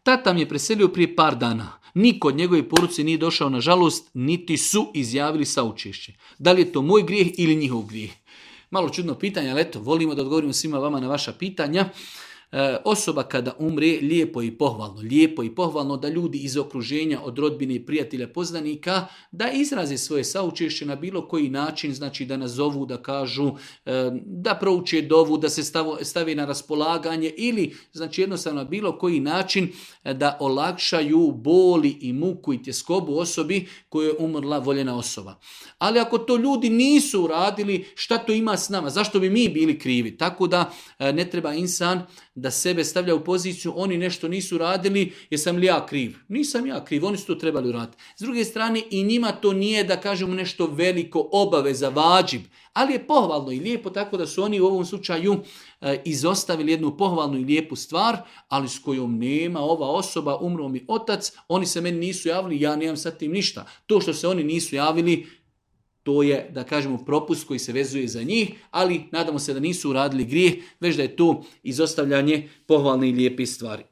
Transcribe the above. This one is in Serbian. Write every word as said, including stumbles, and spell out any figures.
Tata mi je preselio prije par dana. Niko od njegove porodice nije došao, nažalost, niti su izjavili saučešće. Da li je to moj grijeh ili njihov grijeh? Malo čudno pitanje, ali eto, volimo da odgovorimo svima vama na vaša pitanja. E, osoba kada umre, lijepo i pohvalno, lijepo i pohvalno da ljudi iz okruženja, od rodbine i prijatelja, poznanika, da izraze svoje saučešće na bilo koji način, znači da nazovu, da kažu, e, da prouče dovu, da se stavu, stavi na raspolaganje ili, znači jednostavno na bilo koji način e, da olakšaju boli i muku i tjeskobu osobi koju je umrla voljena osoba. Ali ako to ljudi nisu uradili, šta to ima s nama? Zašto bi mi bili krivi? Tako da e, ne treba insan da sebe stavlja u poziciju, oni nešto nisu radili, jesam li ja kriv? Nisam ja kriv, oni su to trebali uraditi. S druge strane, i njima to nije, da kažemo, nešto veliko, obaveza, vađib, ali je pohvalno i lijepo, tako da su oni u ovom slučaju e, izostavili jednu pohvalnu i lijepu stvar, ali s kojom nema ova osoba, umro mi otac, oni se meni nisu javili, ja nemam sa tim ništa. To što se oni nisu javili, to je, da kažemo, propust koji se vezuje za njih, ali nadamo se da nisu uradili grijeh, već da je to izostavljanje pohvalne i lijepe stvari.